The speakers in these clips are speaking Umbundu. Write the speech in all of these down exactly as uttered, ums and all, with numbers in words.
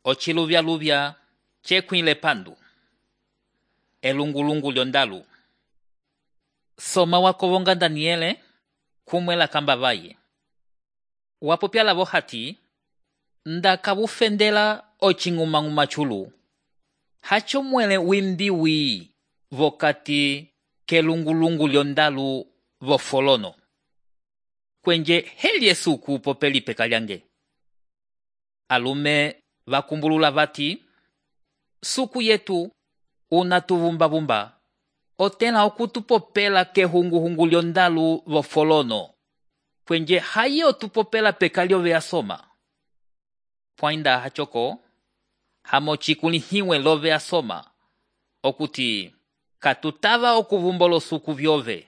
Ochiluvya-luvya chekwile pandu. Elungulungu lyondalu. Soma wakovonga Daniele kumwela kamba vaye. Wapopya lavo hati ndaka bufendela ochingumanguma chulu. Hacho mwele wimbiwi vokati kelungulungu lyondalu vofolono. Kwenje helye suku popeli pekalyange. Alume vakumbulula vati suku yetu unatuvumba-vumba otela okutupopela kehungu-hungu lyondalu vofolono. Kwenje haye otupopela pekalyo veasoma. Pwainda hachoko hamochikulihiwe lo veasoma okuti katutava okuvumbolo suku vyove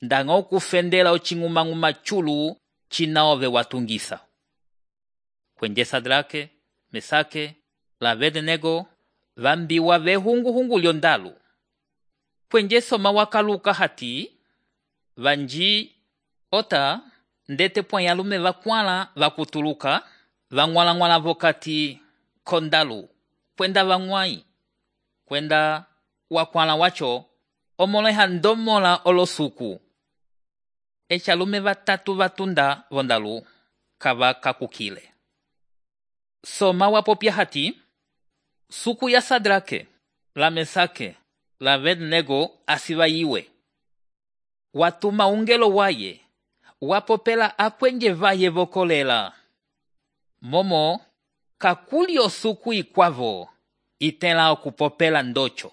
ndanga okufendela ochingumanguma chulu chinaove watungisa. Kwenje Sadrake, Mesake, la Abednego vambiwa vehungu-hungu lyondalu. Kwenje soma wakaluka hati vanji ota ndete pwanyalume vakwala vakutuluka vangwala-ngwala vokati kondalu kwenda vangwai. Kwenda wakwala wacho omoleha ndomola olosuku. Echalume vatatu vatunda vondalu kava kakukile. Soma wapopya hati suku ya Sadrake, la Mesake, la Abednego asiva iwe. Watuma ungelo waye wapopela akwenje vaye vokolela. Momo kakuli osuku ikwavo itela okupopela ndocho.